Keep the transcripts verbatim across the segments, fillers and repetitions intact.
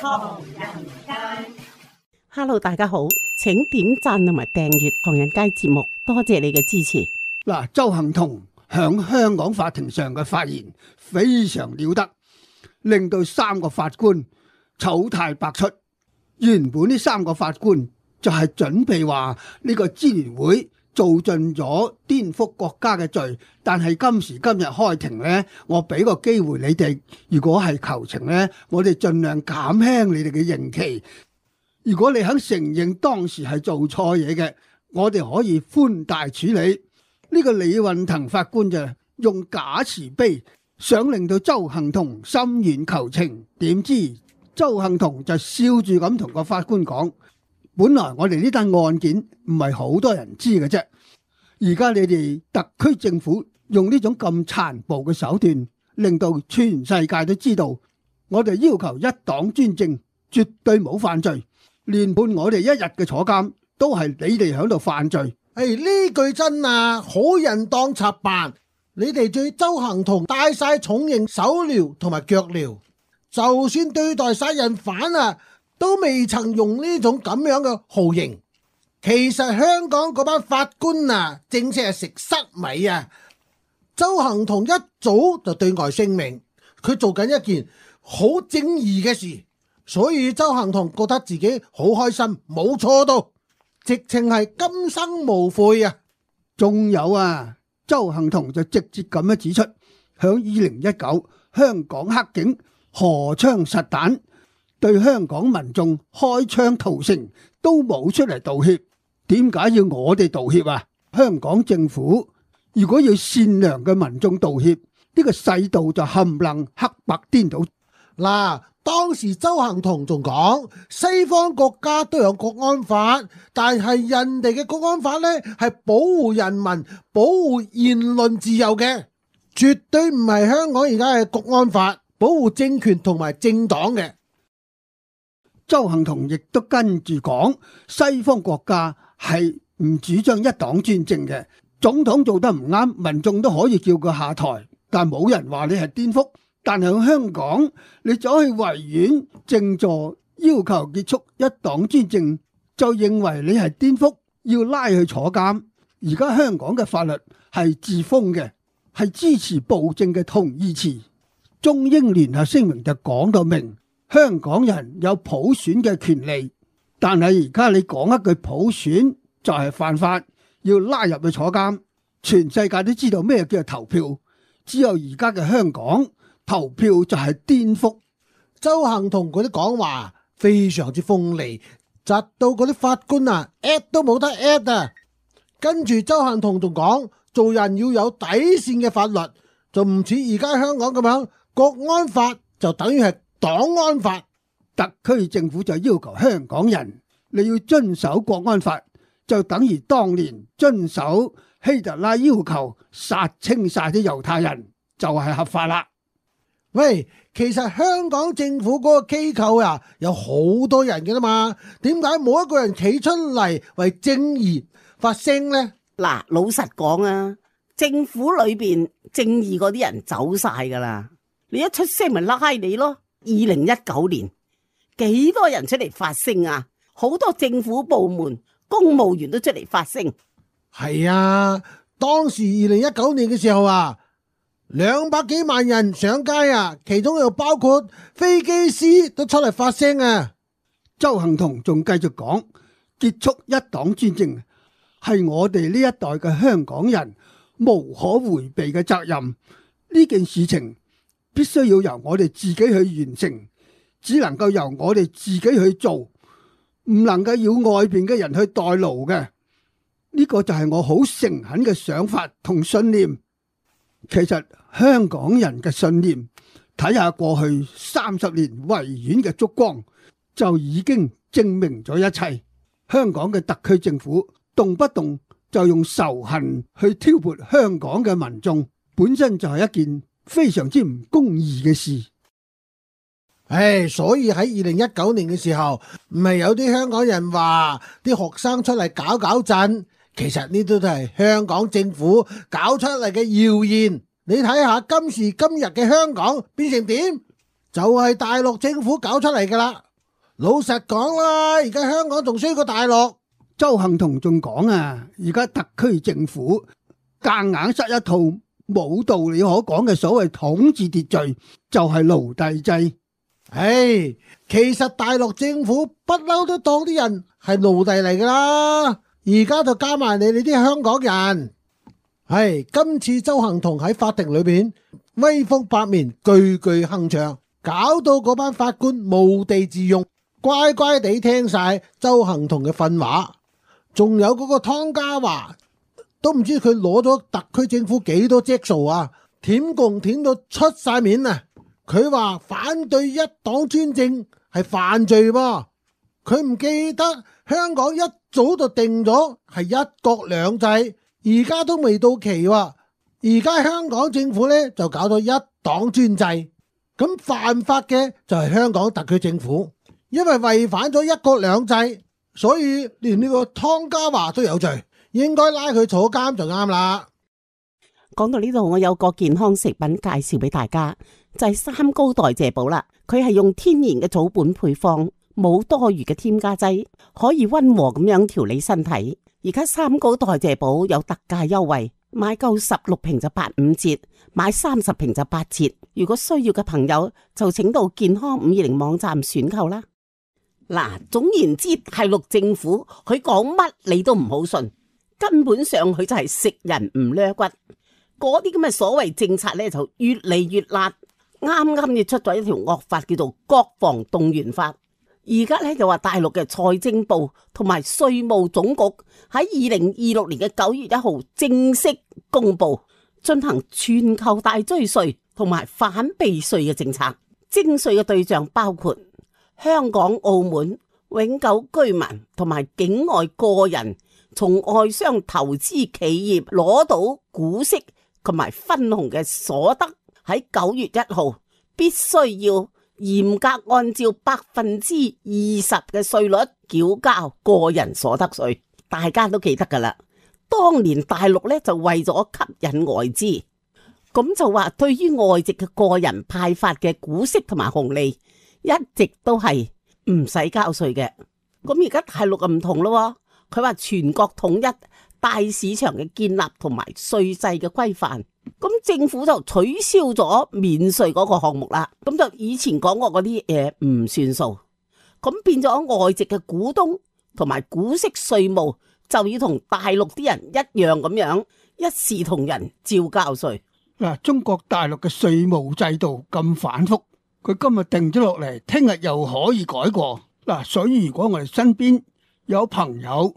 唐人街。Hello， 大家好，請點讚同埋訂閱唐人街節目，多謝你嘅支持。嗱，鄒幸彤響香港法庭上嘅發言非常了得，令到三個法官醜態百出。原本呢三個法官就係準備話呢個支聯會做盡咗顛覆國家嘅罪，但係今時今日開庭呢，我俾個機會你哋，如果係求情呢，我哋盡量減輕你哋嘅刑期。如果你肯承認當時係做錯嘢嘅，我哋可以寬大處理。呢個李運騰法官就用假慈悲，想令到鄒幸彤心軟求情，點知鄒幸彤就笑住咁同個法官講：本來我哋呢單案件唔係好多人知嘅啫，而家你哋特區政府用呢種咁殘暴嘅手段，令到全世界都知道，我哋要求一黨專政，絕對冇犯罪，連判我哋一日嘅坐監都係你哋喺度犯罪。誒，呢句真啊，好人當賊辦。你哋對鄒幸彤戴晒重刑手鐐同埋腳鐐，就算對待殺人犯啊，都未曾用呢種咁樣嘅酷刑。其實香港嗰班法官啊，正式係食塞米啊！鄒幸彤一早就對外聲明，佢做緊一件好正義嘅事，所以鄒幸彤覺得自己好開心，冇錯到。直情係今生無悔啊！仲有啊，鄒幸彤就直接咁樣指出，響二零一九香港黑警荷槍實彈對香港民眾開槍屠城，都冇出嚟道歉。點解要我哋道歉啊？香港政府如果要善良嘅民眾道歉，呢個世道就冚唪唥黑白顛倒。嗱，當時鄒幸彤仲講，西方國家都有國安法，但係人哋嘅國安法呢係保護人民、保護言論自由嘅，絕對唔係香港而家嘅國安法保護政權同埋政黨嘅。鄒幸彤亦都跟住講，西方國家係唔主張一黨專政嘅，總統做得唔啱，民眾都可以叫佢下台，但冇人話你係顛覆。但係喺香港，你走去維園靜坐，要求結束一黨專政，就認為你係顛覆，要拉去坐監。而家香港嘅法律係自封嘅，係支持暴政嘅同義詞。中英聯合聲明就講到明，香港人有普選嘅權利。但係而家你講一句普選就係犯法，要拉入去坐監。全世界都知道咩叫做投票，只有而家嘅香港，投票就係顛覆。鄒幸彤嗰啲講話非常之鋒利，窒到嗰啲法官啊 at 都冇得 at 啊。跟住鄒幸彤仲講，做人要有底線嘅法律，就唔似而家香港咁樣，國安法就等於係黨安法。特區政府就要求香港人你要遵守國安法，就等於當年遵守希特拉要求殺清晒啲猶太人，就係合法啦。喂，其實香港政府嗰個機構啊，有好多人嘅啦嘛，點解冇一個人企出嚟為正義發聲呢？嗱，老實講啊，政府裏邊正義嗰啲人走晒噶啦，你一出聲咪拉你咯。二零一九年幾多人出嚟發聲啊？好多政府部門公務員都出嚟發聲。係啊，當時二零一九年嘅時候啊，兩百幾萬人上街啊，其中又包括飛機師都出嚟發聲啊。鄒幸彤仲繼續講，結束一黨專政係我哋呢一代嘅香港人無可回避嘅責任。呢件事情必須要由我哋自己去完成，只能夠由我哋自己去做，唔能夠要外邊嘅人去代勞嘅。呢個就係我好誠懇嘅想法同信念。其實香港人嘅信念，睇下過去三十年維園嘅燭光，就已經證明咗一切。香港嘅特區政府動不動就用仇恨去挑撥香港嘅民眾，本身就係一件非常之唔公義嘅事。唉，所以喺二零一九年嘅時候，唔係有啲香港人話啲學生出嚟搞搞震，其實呢啲都係香港政府搞出嚟嘅謠言。你睇下今時今日嘅香港變成點，就係大陸政府搞出嚟噶啦。老實講啦，而家香港仲衰過大陸。鄒幸彤仲講啊，而家特區政府夾硬塞一套冇道理可講嘅所謂統治秩序，就係奴隸制。唉，其實大陸政府不嬲都當啲人係奴隸嚟噶啦，而家就加埋你哋啲香港人。唉，今次鄒幸彤喺法庭裏邊威風八面，句句鏗鏘，搞到嗰班法官無地自容，乖乖地聽晒鄒幸彤嘅訓話。仲有嗰個湯家驊，都唔知佢攞咗特區政府幾多隻數啊，舔共舔到出晒面啊！佢話反對一黨專政係犯罪喎，佢唔記得香港一早就定咗係一國兩制，而家都未到期喎。而家香港政府呢，就搞到一黨專制，咁犯法嘅就係香港特區政府，因為違反咗一國兩制，所以連呢個湯家驊都有罪，應該拉佢坐監就啱啦。講到呢度，我有個健康食品介紹俾大家，就係三高代謝寶啦。佢係用天然嘅草本配方，冇多餘嘅添加劑，可以溫和咁樣調理身體。而家三高代謝寶有特價優惠，買夠十六瓶就八五折，買三十瓶就八折。如果需要嘅朋友就請到健康五二零網站選購啦。嗱，總言之，大陸政府佢講乜你都唔好信，根本上佢就係食人唔掠骨。嗰啲咁嘅所謂政策咧，就越嚟越辣。啱啱亦出咗一條惡法，叫做國防動員法。而家咧就話大陸嘅財政部同埋稅務總局喺二零二六年嘅九月一號正式公布，進行全球大追稅同埋反避稅嘅政策。徵稅嘅對象包括香港、澳門永久居民同埋境外個人，從外商投資企業攞到股息同埋分紅嘅所得，喺九月一號必須要嚴格按照百分之二十嘅稅率繳交個人所得稅。大家都記得噶啦，當年大陸咧就為咗吸引外資，咁就話對於外籍嘅個人派發嘅股息同埋紅利，一直都係唔使交稅嘅。咁而家大陸就唔同咯，佢話全國統一大市場嘅建立同埋稅制嘅規範，咁政府就取消咗免稅嗰個項目啦。咁就以前講過嗰啲嘢唔算數，咁變咗外籍嘅股東同埋股息稅務就要同大陸啲人一樣咁樣一視同仁照交稅。嗱，中國大陸嘅稅務制度咁反覆，佢今日定咗落嚟，聽日又可以改過。嗱，所以如果我哋身邊有朋友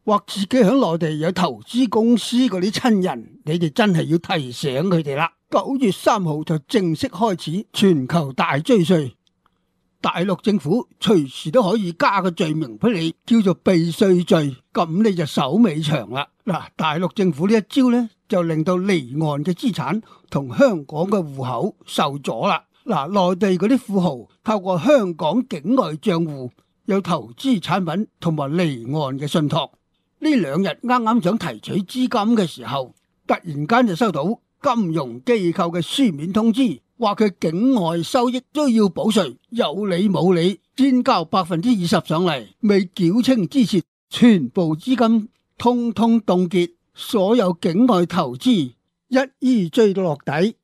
或自己喺內地有投資公司嗰啲親人，你哋真係要提醒佢哋啦。九月三號就正式開始全球大追稅，大陸政府隨時都可以加個罪名俾你，叫做避稅罪，咁你就手尾長啦。嗱，大陸政府呢一招呢，就令到離岸嘅資產同香港嘅戶口受阻啦。嗱，內地嗰啲富豪透過香港境外賬戶有投資產品同埋離岸嘅信託。呢兩日啱啱想提取資金嘅時候，突然間就收到金融機構嘅書面通知，話佢境外收益都要補稅，有理冇理，先交百分之二十上嚟，未繳清之前，全部資金通通凍結，所有境外投資一於追到落底。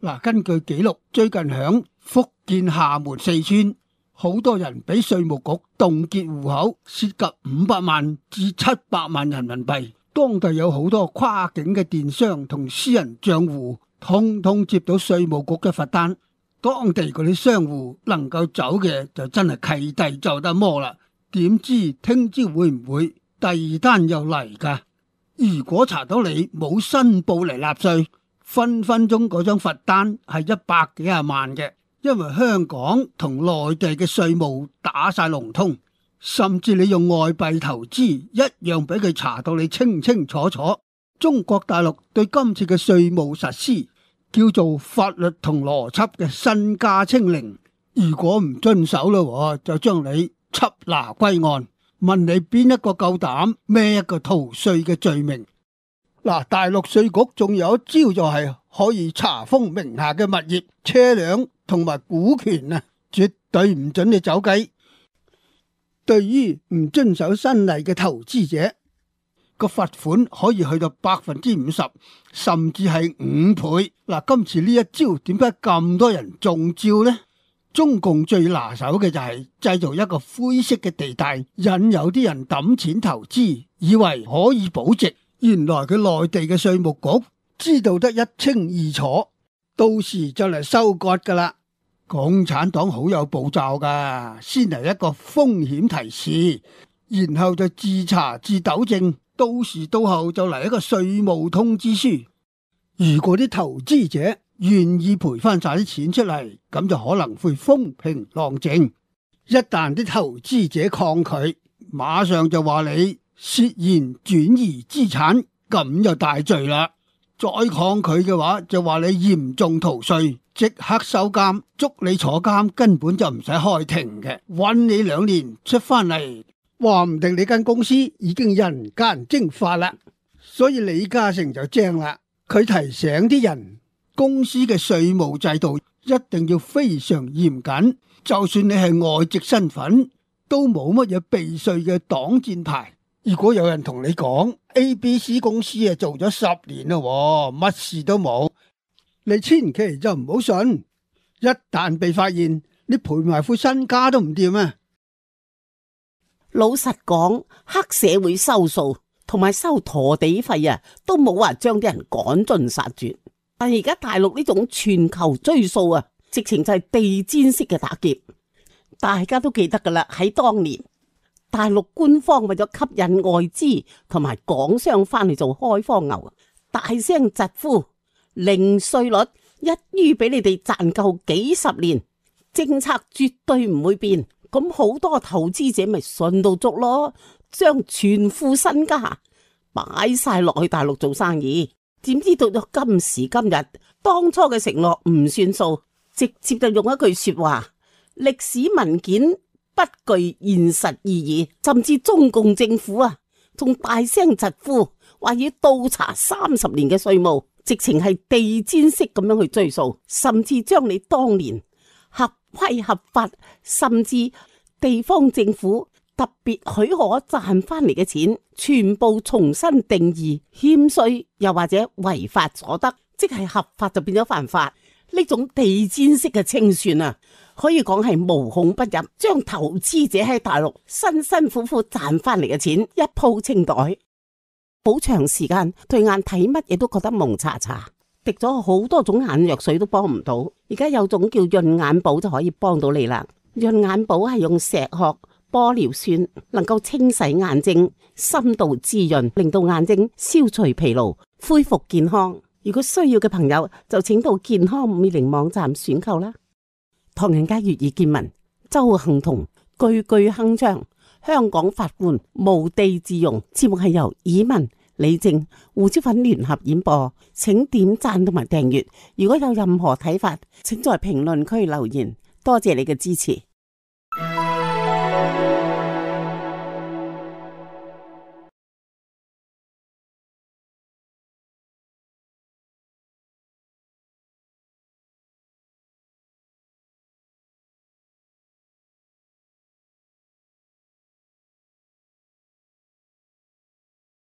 嗱，根據記錄，最近響福建廈門、四川，好多人俾稅務局凍結戶口，涉及五百萬至七百萬人民幣。當地有好多跨境嘅電商同私人賬戶，通通接到稅務局嘅罰單。當地嗰啲商戶能夠走嘅就真係契弟就得摸啦。點知聽朝會唔會第二單又嚟㗎？如果查到你冇申報嚟納稅，分分鐘嗰張罰單係一百幾廿萬嘅。因為香港同內地嘅稅務打晒龍通，甚至你用外幣投資一樣俾佢查到你清清楚楚。中國大陸對今次嘅稅務實施叫做法律同邏輯嘅身家清零，如果唔遵守咯，就將你緝拿歸案，問你邊一個夠膽孭一個逃稅嘅罪名。嗱，大陸稅局仲有一招就係可以查封名下嘅物業、車輛同埋股權啊，絕對唔准你走雞。對於唔遵守新例嘅投資者，個罰款可以去到百分之五十，甚至係五倍。嗱，今次呢一招點解咁多人中招呢？中共最拿手嘅就係製造一個灰色嘅地帶，引誘啲人抌錢投資，以為可以保值。原來佢內地嘅稅務局知道得一清二楚，到時就嚟收割噶啦。共產黨好有步驟噶，先嚟一個風險提示，然後就自查自糾正，到時到後就嚟一個稅務通知書。如果啲投資者願意賠翻晒啲錢出嚟，咁就可能會風平浪靜。一旦啲投資者抗拒，馬上就話你涉嫌轉移資產，咁就大罪啦。再抗拒嘅話，就話你嚴重逃稅，即刻收監，捉你坐監，根本就唔使開庭嘅，韞你兩年出翻嚟，話唔定你間公司已經人間蒸發啦。所以李嘉誠就正啦，佢提醒啲人，公司嘅稅務制度一定要非常嚴謹，就算你係外籍身份，都冇乜嘢避稅嘅擋箭牌。如果有人同你講 A B C 公司啊做咗十年啦，乜事都冇，你千祈就唔好信。一旦被發現，你賠埋副身家都唔掂啊！老實講，黑社會收數同埋收陀地費啊，都冇話將啲人趕盡殺絕。但而家大陸呢種全球追數啊，直情就係地毯式嘅打劫。大家都記得噶啦，喺當年大陸官方為咗吸引外資同埋港商翻嚟做開荒牛，大聲疾呼零稅率，一於俾你哋賺夠幾十年，政策絕對唔會變。咁好多投資者咪信到足咯，將全副身家擺晒落去大陸做生意。點知到咗今時今日，當初嘅承諾唔算數，直接就用一句說話：歷史文件不具現實意義。甚至中共政府啊，仲大聲疾呼話要倒查三十年嘅稅務，直情係地毯式咁樣去追數，甚至將你當年合規合法，甚至地方政府特別許可賺翻嚟嘅錢，全部重新定義欠稅，又或者違法所得，即係合法就變咗犯法。呢種地毯式嘅清算啊，可以講係無孔不入，將投資者喺大陸辛辛苦苦賺翻嚟嘅錢一鋪清袋，好長時間對眼睇乜嘢都覺得蒙查查，滴咗好多種眼藥水都幫唔到。而家有種叫潤眼寶就可以幫到你啦。潤眼寶係用石殼、玻尿酸，能夠清洗眼睛，深度滋潤，令到眼睛消除疲勞，恢復健康。如果需要嘅朋友就請到健康五二零網站選購啦。唐人街粵語見聞，鄒幸彤句句鏗鏘，香港法官無地自容。節目係由以文、李正、胡椒粉聯合演播，請點讚同埋訂閱。如果有任何睇法，請在評論區留言。多謝你嘅支持。